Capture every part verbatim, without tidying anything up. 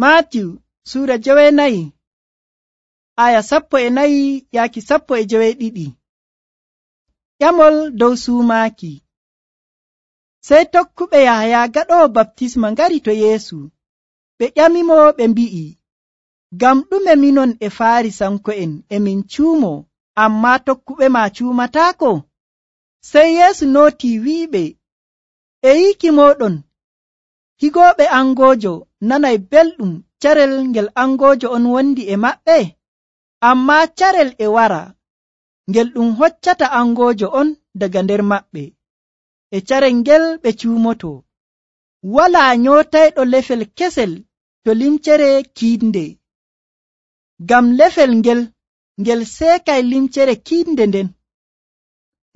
Maatiw suura jeweenayi aya sappo e nayi yaaki sappo e joweeɗiɗi. Ƴamol dow suumaaki. Sey tokkuɓe Yahaya gaɗoowo baptisma ngari to Yeesu. Ɓe ƴamimo ɓe mbi'i, ngam ɗume minon e Faarisanko'en e min cuumoo, ammaa tokkuɓe ma cuumataako? Sey Yeesu nootii wi'iɓe, e yiiki mooɗon higooɓe angoojo nanay belɗum carel ngel angoojo on wondi e maɓɓe? Ammaa carel e wara ngel ɗum hoccata angoojo on daga nder maɓɓe, e carel ngel ɓe cuumoto. Walaa nyootayɗo lefel kesel to limcere kiiɗnde, ngam lefel ngel ngel seekay limcere kiiɗnde nden.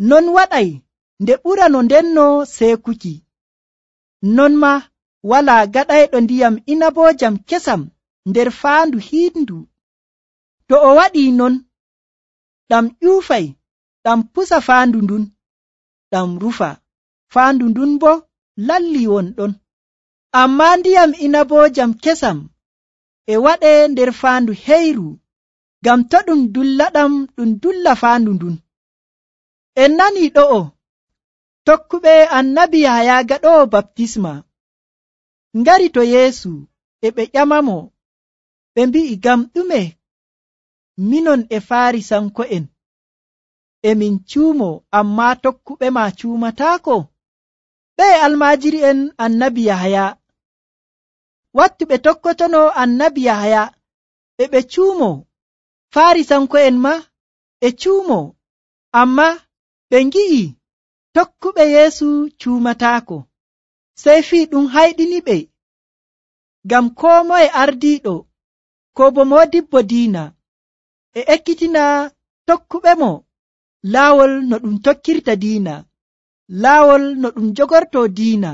Non waɗay nde ɓurano ndenno seekuki. Non maa walaa gaɗayɗo ndiyam inaboojam kesam nder faandu hiiɗndu. To o waɗii non, ɗam ƴuufay, ɗam pusa faandu ndun, ɗam rufa, faandu ndun boo lallii wonɗon. Ammaa ndiyam inaboojam kesam e waɗee nder faandu heyru, ngam to ɗum dullaɗam ɗum dulla faandu ndun. En nanii ɗo'o tokkuɓe annabi Yahaya gaɗoowo baptisma ngari to Yeesu e ɓe ƴamamo, ɓe mbi'i, ngam ɗume minon e Faarisanko'en e min cuumoo, ammaa tokkuɓe ma cuumataako? Ɓeye almaajiri'en annabi Yahaya wattu ɓe tokkotono annabi Yahaya e ɓe cuumoo, Faarisanko'en ma e cuumoo, ammaa ɓe ngi'i tokkuɓe Yeesu cuumataako. Sey fii ɗum hayɗiniɓe, ngam koo moye ardiiɗo koo bo moodibbo diina e ekkitina tokkuɓe mo laawol no ɗum tokkirta diina, laawol no ɗum jogortoo diina.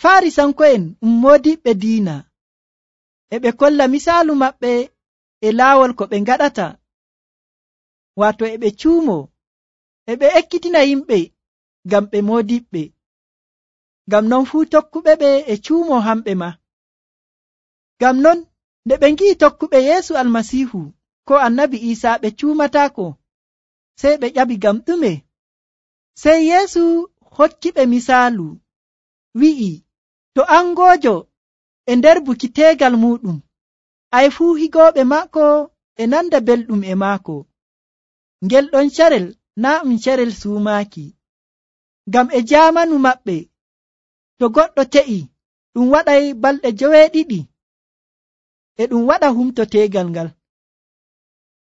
Faarisanko'en um moodiɓɓe diina, e ɓe kolla misaalu maɓɓe e laawol ko ɓe ngaɗata, waato e ɓe cuumoo, e ɓe ekkitina yimɓe ngam ɓe moodiɓɓe. Ngam non fuu tokkuɓe ɓe e cuumoo hamɓe ma. Ngam non nde ɓe ngi'i tokkuɓe Yeesu Almasiihu koo annabi Iisaa ɓe cuumataako, sey ɓe ƴaɓi ngam ɗume. Sey Yeesu hokkiɓe misaalu, wi'i, to angoojo e nder buki teegal muuɗum, ay fuu higooɓe maako e nanda belɗum e maako. Ngel ɗon carel naa ɗum carel suumaaki, ngam e jaamanu maɓɓe to goɗɗo te'i ɗum waɗay balɗe joweeɗiɗi e ɗum waɗa humto teegal ngal.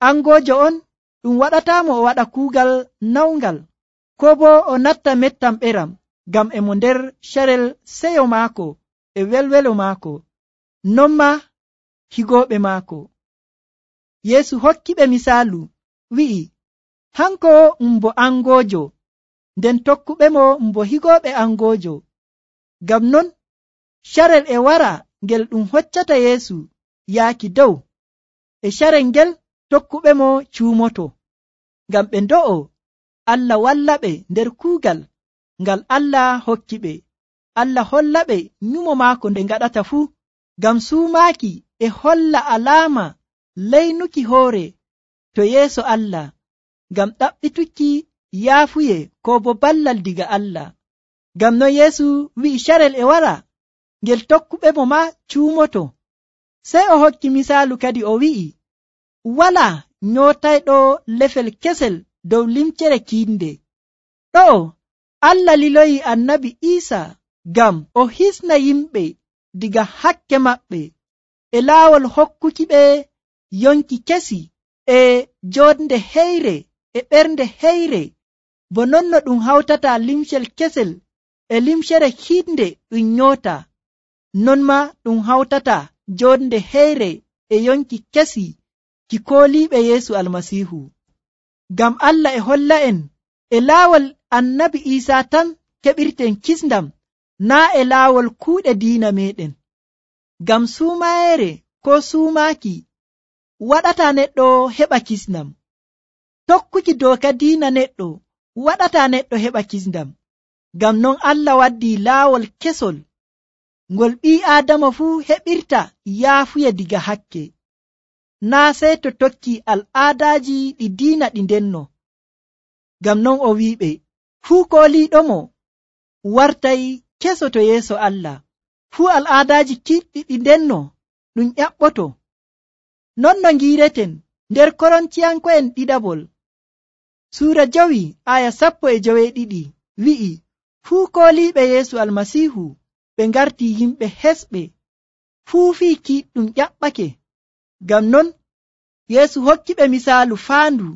Angoojo on ɗum waɗataamo o waɗa kuugal nawngal, koo boo o natta mettam ɓeram, ngam e mo nder carel seyo maako e welwelo maako, non maa higooɓe maako. Yeesu hokkiɓe misaalu, wi'i, hanko um bo angoojo, nden tokkuɓe mo um bo higooɓe angoojo. Ngam non carel e wara ngel ɗum hoccata Yeesu yaaki dow, e carel ngel tokkuɓe mo cuumoto, ngam ɓe ndo'o Allah wallaɓe nder kuugal ngal Allah hokki ɓe. Allah hollaɓe nyumo maako nde ngaɗata fuu, ngam suumaaki e holla alaama leynuki hoore to yeeso Allah, ngam ɗaɓɓituki yaafuye koo bo ballal diga Allah. Ngam non Yeesu wi'i carel e wara ngel tokkuɓe mo ma cuumoto. Sey o hokki misaalu kadi o wi'i, walaa nyootayɗo lefel kesel dow limcere kiiɗnde. Ɗo'o Allah liloyi annabi Iisaa ngam o hisna yimɓe diga hakke maɓɓe e laawol hokkuki ɓe yonki kesi e joonde heyre e ɓernde heyre, bo non no ɗum hawtata limcel kesel e limcere hiiɗnde ɗum nyoota, non maa ɗum hawtata joonde heyre e yonki kesi ki kooliiɓe Yeesu Almasiihu. Ngam Allah e holla en e laawol annabi Iisaa tan keɓirten kisndam, naa e laawol kuuɗe diina meɗen. Ngam suumayeere koo suumaaki waɗata neɗɗo heɓa kisndam. Tokkuki dooka diina neɗɗo waɗata neɗɗo heɓa kisndam. Ngam non Allah waddii laawol kesol ngol ɓii aadama fuu heɓirta yaafuya diga hakke, naa sey to tokki al'aadaaji ɗi diina ɗi ndenno. Ngam non o wi'iɓe, fuu kooliiɗomo wartay keso to yeeso Allah, fuu al'aadaaji kiɗɗi ɗi ndenno ɗum ƴaɓɓoto. Non no ngiireten nder Korontiyanko'en ɗiɗaɓol suura jowi aya sappo e joweeɗiɗi wi'i, fuu kooliiɓe Yeesu Almasiihu ɓe ngarti yimɓe hesɓe, fuu fii kiiɗɗum ƴaɓɓake. Ngam non Yeesu hokkiɓe misaalu faandu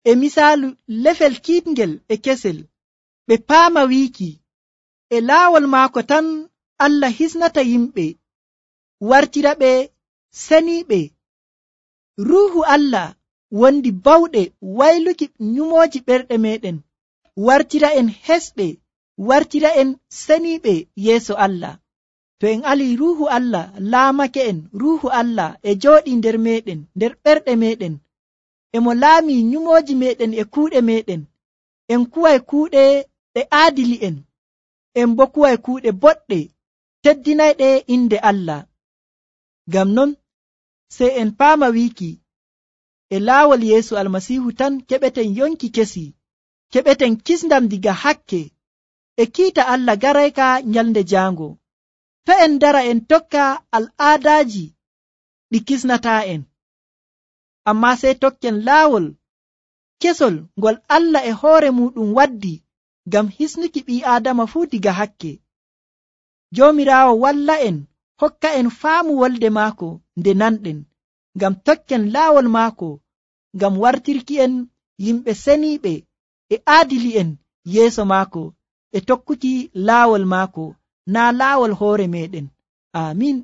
e misaalu lefel kiitngel e kesel, ɓe paama wiiki e laawol maako tan Allah hisnata yimɓe wartira ɓe seniiɓe. Ruuhu Allah wondi bawɗe wayluki nyumooji ɓerɗe meɗen, wartira en hesɓe, wartira en seniiɓe yeeso Allah. To en alii Ruuhu Allah laamake en, Ruuhu Allah e jooɗii nder meɗen, nder ɓerɗe meɗen, emo laamii nyumooji meɗen e kuuɗe meɗen, en kuway kuuɗe ɗe aadili en, en bo kuway kuuɗe boɗɗe teddinayɗe inde Allah. Ngam non sey en paama wiiki e laawol Yeesu Almasiihu tan keɓeten yonki kesi, keɓeten kisndam diga hakke e kiita Allah garayka nyalnde jaango. To en dara en tokka al'aadaaji ɗi kisnataa en, ammaa sey tokken laawol kesol ngol Allah e hoore muɗum waddi ngam hisnuki ɓii Aadama fuu diga hakke. Joomiraawo walla en, hokka en faamu wolde maako nde nanɗen, ngam tokken laawol maako, ngam wartirki en yimɓe seniiɓe e aadili en yeeso maako e tokkuki laawol maako, naa laawol hoore meɗen. Aamin.